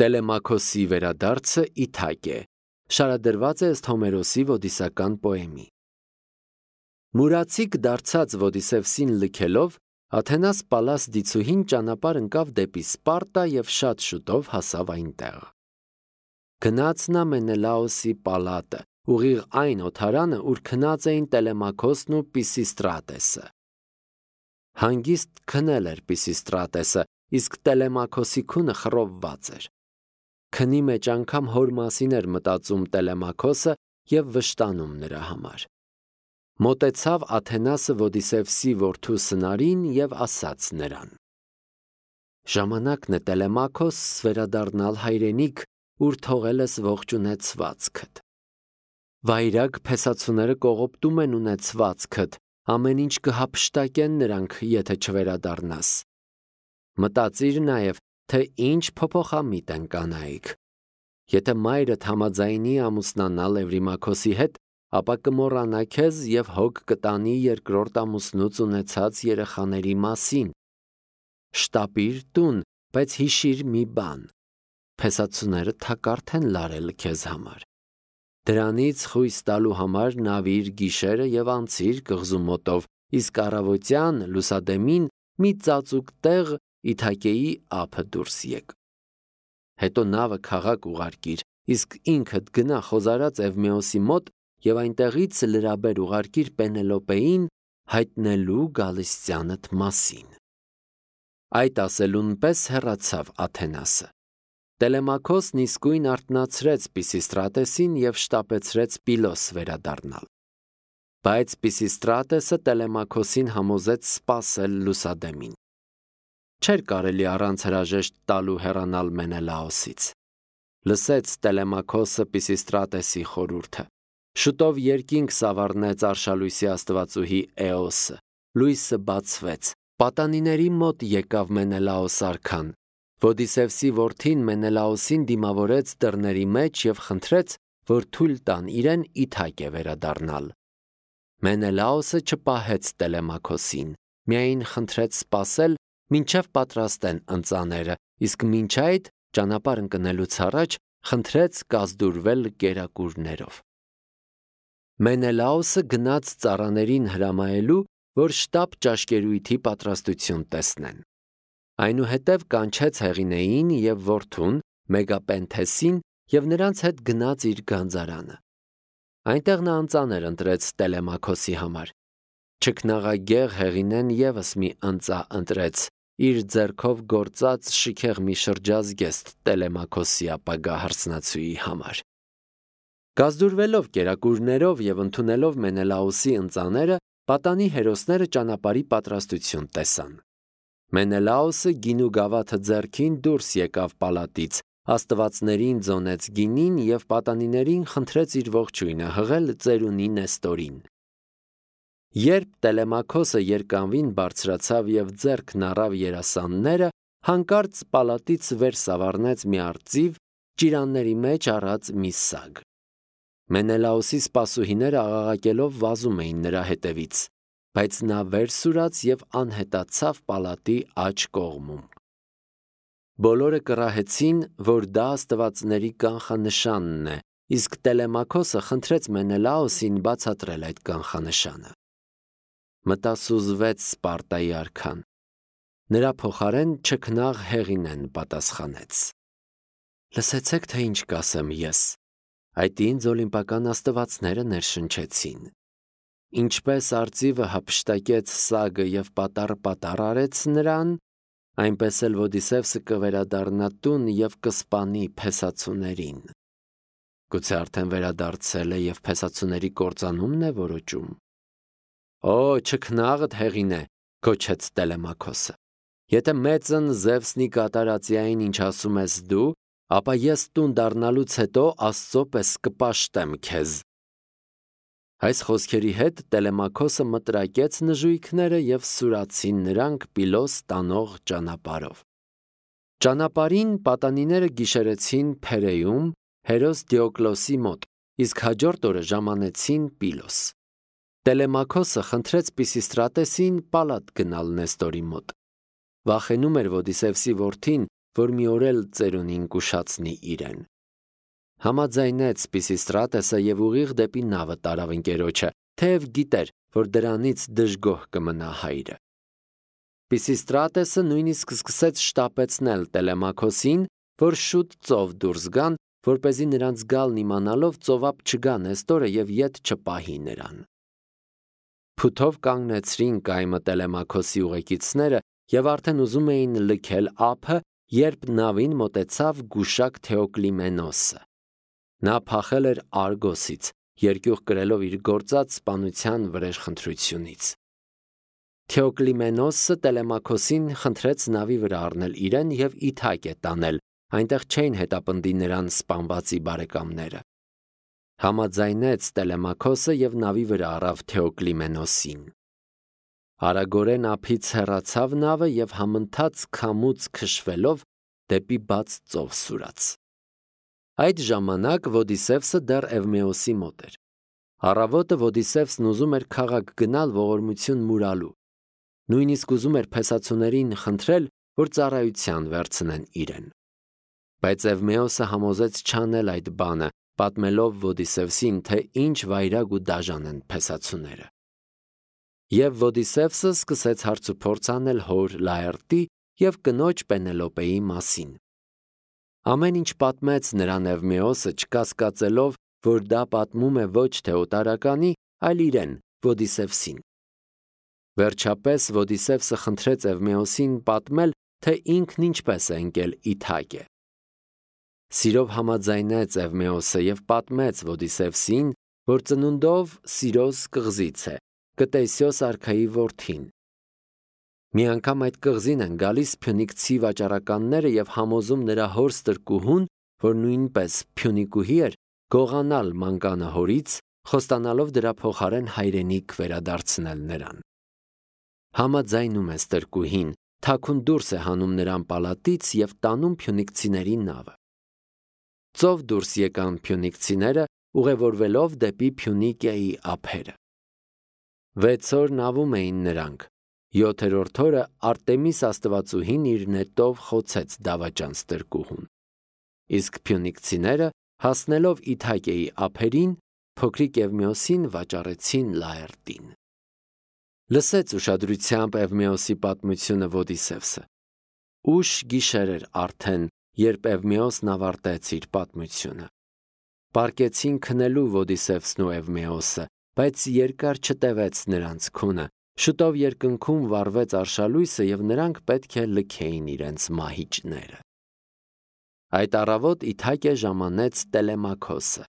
Տելեմաքոսի վերադարձը Իթակե շարադրված է ըստ Հոմերոսի ոդիսական պոեմի։ Մուրացիկ դարձած Ոդիսևսին լքելով, Աթենաս Պալաս դիցուհին ճանապարհ ընկավ դեպի Սպարտա եւ շատ շուտով հասավ այնտեղ։ Գնաց նա Մենելաոսի պալատը, ուղիղ այն օթարանը, ուր քնած էին Տելեմաքոսն ու Պիսիստրատեսը։ Հանգիստ քնել էր Պիսիստրատեսը, իսկ Տելեմաքոսի քունը խռովված էր։ Քնի մեջ անգամ հոր մասին էր մտածում Տելեմաքոսը եւ վշտանում նրա համար։ Մոտեցավ Աթենասը Ոդիսևսի որդու Սնարին եւ ասաց նրան. Ժամանակն է Տելեմաքոս վերադառնալ հայրենիք, ուր թողել ես ողջունեցվածքդ։ Վայրագ փեսացուները կողոպտում են ունեցվածքդ, ամեն ինչ կհափշտակեն նրանք, եթե չվերադառնաս։ Մտածիր նաեւ, թե ինչ փոփոխամիտ են կանայք։ Եթե մայրդ համաձայնի ամուսնանալ Էվրիմաքոսի հետ, ապա կմոռանա քեզ եւ հոգ կտանի երկրորդ ամուսնուց ունեցած երեխաների մասին։ Շտապիր տուն, բայց հիշիր մի բան. փեսացուները թակարդ են լարել քեզ համար։ Դրանից խույս տալու համար նավիր գիշերը եւ անցիր կղզու մոտով, իսկ առավոտյան լուսադեմին մի ծածուկ տեղ Իթակեի ափը դուրս եկ։ Հետո նավը քաղաք ուղարկիր, իսկ ինքդ գնա խոզարած Էվմեոսի մոտ եւ այնտեղից լրաբեր ուղարկիր Պենելոպեին հայտնելու գալստյանդ մասին։ Այդ ասելուն պես հեռացավ Աթենասը։ Տելեմաքոսն իսկույն արթնացրեց Պիսիստրատեսին եւ շտապեցրեց Պիլոս վերադառնալ։ Բայց Պիսիստրատեսը Տելեմաքոսին համոզեց սպասել լուսադեմին։ Չէր կարելի առանց հրաժեշտ տալու հեռանալ Մենելաոսից։ Լսեց Տելեմաքոսը Պիսիստրատեսի խորհուրդը։ Շուտով երկինք սավառնեց արշալույսի աստվածուհի Էոսը։ Լույսը բացվեց։ Պատանիների մոտ եկավ Մենելաոս արքան։ Ոդիսևսի որդին Մենելաոսին դիմավորեց դռների մեջ եւ խնդրեց, որ թույլ տան իրեն Իթակե վերադառնալ։ Մենելաոսը չպահեց Տելեմաքոսին, միայն խնդրեց սպասել, մինչև պատրաստեն ընծաները, իսկ մինչ այդ ճանապարհ ընկնելուց առաջ խնդրեց կազդուրվել կերակուրներով։ Մենելաոսը գնաց ծառաներին հրամայելու, որ շտապ ճաշկերույթի պատրաստություն տեսնեն։ Այնուհետև կանչեց Հեղինեին եւ որդուն Մեգապենթեսին եւ նրանց հետ գնաց իր գանձարանը։ Այնտեղ նա ընծաներ ընտրեց Տելեմաքոսի համար։ Չքնաղագեղ Հեղինեն եւս մի ընծա ընտրեց, իր ձեռքով գործած շքեղ մի շրջազգեստ Տելեմաքոսի ապագա հարսնացուի համար։ Գազդուրվելով կերակուրներով եւ ընդունելով Մենելաոսի ընծաները, պատանի հերոսները ճանապարհի պատրաստություն տեսան։ Մենելաոսը գինու գավաթը ձեռքին դուրս եկավ պալատից, աստվածներին ձոնեց գինին եւ պատանիներին խնդրեց իր ողջույնը հղել ծերունի Նեստորին։ Երբ Տելեմաքոսը երկանվին բարձրացավ եւ ձեռքն առավ երասանները, հանկարծ պալատից վեր սավառնեց մի արծիվ, ճիրանների մեջ առած մի սագ։ Մենելաոսի սպասուհիները աղաղակելով վազում էին նրա հետևից, բայց նա վեր սուրաց եւ անհետացավ պալատի աջ կողմում։ Բոլորը կռահեցին, որ դա աստվածների կանխանշանն է, իսկ Տելեմաքոսը խնդրեց Մենելաոսին բացատրել այդ կանխանշանը։ Մտասուզվեց Սպարտայի արքան։ Նրա փոխարեն չքնաղ Հեղինեն պատասխանեց. Լսեցեք, թե ինչ կասեմ ես։ Այդ ինձ օլիմպական աստվածները ներշնչեցին։ Ինչպես արծիվը հափշտակեց սագը եւ պատառ արեց նրան, այնպես էլ Ոդիսևսը կվերադառնա տուն եւ կսպանի փեսացուներին։ Գուցե արդեն վերադարձել է եւ փեսացուների կործանումն է որոճում։ Օ, չքնաղդ Հեղինե, գոչեց Տելեմաքոսը։ Եթե մեծն Զևսնի կատարածիային ինչ ասում ես դու, ապա ես տուն դառնալուց հետո Աստծո պես կպաշտեմ քեզ։ Այս խոսքերի հետ Տելեմաքոսը մտրակեց նժույգները եւ սուրացին նրանք Պիլոս տանող ճանապարհով։ Ճանապարհին պատանիները գիշերեցին Փերեում հերոս Դիոկլոսի մոտ, իսկ հաջորդ օրը ժամանեցին Պիլոս։ Տելեմաքոսը խնդրեց Պիսիստրատեսին պալատ գնալ Նեստորի մոտ։ Վախենում էր Ոդիսևսի որդին, որ մի օր էլ ծերունին կուշացնի իրեն։ Համաձայնեց Պիսիստրատեսը եւ ուղիղ դեպի նավը տարավ ընկերոջը, թեև գիտեր, որ դրանից դժգոհ կմնա հայրը։ Պիսիստրատեսը նույնիսկ սկսեց շտապեցնել Տելեմաքոսին, որ շուտ ծով դուրս գան, որպեսզի նրանց գալն իմանալով ծովափ չգա Նեստորը եւ ետ չպահի նրան։ Փութով կանգնեցրին կայմը Տելեմաքոսի ուղեկիցները եւ արդեն ուզում էին լքել ափը, երբ նավին մոտեցավ գուշակ Թեոկլիմենոսը։ Նա փախել էր Արգոսից, երկյուղ կրելով իր գործած սպանության վրեժխնդրությունից։ Թեոկլիմենոսը Տելեմաքոսին խնդրեց նավի վրա առնել իրեն եւ Իթակե տանել, այնտեղ չէին հետապնդի նրան սպանվածի բարեկամները։ Համաձայնեց Տելեմաքոսը եւ նավի վրա առավ Թեոկլիմենոսին։ Արագորեն ափից հեռացավ նավը եւ համընթաց քամուց քշվելով դեպի բաց ծով սուրաց։ Այդ ժամանակ Ոդիսևսը դեռ Էվմեոսի մոտ էր։ Առավոտը Ոդիսևսն ուզում էր քաղաք գնալ ողորմություն մուրալու։ Նույնիսկ ուզում էր փեսացուներին խնդրել, որ ծառայության վերցնեն իրեն։ Բայց Էվմեոսը համոզեց չանել այդ բանը, պատմելով Ոդիսևսին, թե ինչ վայրագ ու դաժան են փեսացուները։ Եվ Ոդիսևսը սկսեց հարցուփորձ անել հոր Լաերտի եւ կնոջ Պենելոպեի մասին։ Ամեն ինչ պատմեց նրան Էվմեոսը, չկասկածելով, որ դա պատմում է ոչ թե օտարականի, այլ իրեն, Ոդիսևսին։ Վերջապես Ոդիսևսը խնդրեց Էվմեոսին պատմել, թե ինքն ինչպես է ընկել Իթակե։ Սիրով համաձայնեց Էվմեոսը եւ պատմեց Ոդիսևսին, որ ծնունդով Սիրոս կղզից է, Կտեսիոս արքայի որդին։ Մի անգամ այդ կղզին են գալիս փյունիկցի վաճառականները եւ համոզում նրա հոր ստրկուհուն, որ նույնպես փյունիկուհի էր, գողանալ մանկանը հորից, խոստանալով դրա փոխարեն հայրենիք վերադարձնել նրան։ Համաձայնում է ստրկուհին, թաքուն դուրս է հանում նրան պալատից եւ տանում փյունիկցիների նավը։ Ծով դուրս եկան փյունիկցիները, ուղևորվելով դեպի Փյունիկիայի ափերը։ 6 օր նավում էին նրանք։ 7-րդ օրը Արտեմիս աստվածուհին իր նետով խոցեց դավաճան ստրկուհուն։ Իսկ փյունիկցիները, հասնելով Իթակեի ափերին, փոքրիկ Էվմեոսին վաճառեցին Լաերտին։ Լսեց ուշադրությամբ Էվմեոսի պատմությունը Ոդիսևսը։ Ուշ գիշեր էր արդեն, երբ Էվմեոսն ավարտեց իր պատմությունը։ Պարկեցին քնելու Ոդիսևսն ու Էվմեոսը, բայց երկար չտևեց նրանց քունը։ Շուտով երկնքում վառվեց արշալույսը եւ նրանք պետք է լքեին իրենց մահիճները։ Այդ առավոտ Իթակե ժամանեց Տելեմաքոսը։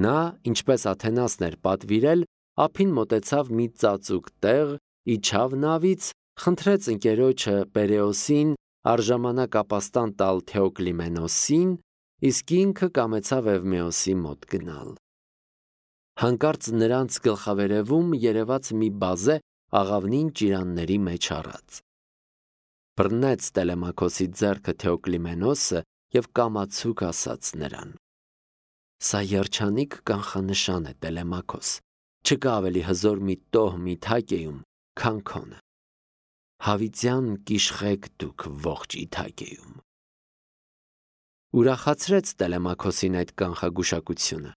Նա, ինչպես Աթենասն էր պատվիրել, ափին մոտեցավ մի ծածուկ տեղ, իջավ նավից, խնդրեց ընկերոջը Պերեոսին արժամանակ ապաստան տալ Թեոկլիմենոսին, իսկ ինքը կամեցավ Էվմեոսի մոտ գնալ։ Հանկարծ նրանց գլխավերևում երևաց մի բազե աղավնին ճիրանների մեջ առած։ Բռնեց Տելեմաքոսի ձեռքը Թեոկլիմենոսը եւ կամացուկ ասաց նրան. «Սա երջանիկ կանխանշան է, Տելեմաքոս, չկա ավելի հզոր մի տոհմ Իթակեում, քան քոնը։ Հավիտյան կիշխեք դուք ողջ Իթակեում»։ Ուրախացրեց Տելեմաքոսին այդ կանխագուշակությունը։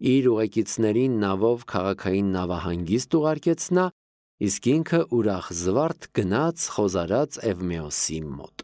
Իր ուղեկիցներին նավով քաղաքային նավահանգիստ ուղարկեց նա, իսկ ինքը ուրախ զվարթ գնաց խոզարած Էվմեոսի մոտ։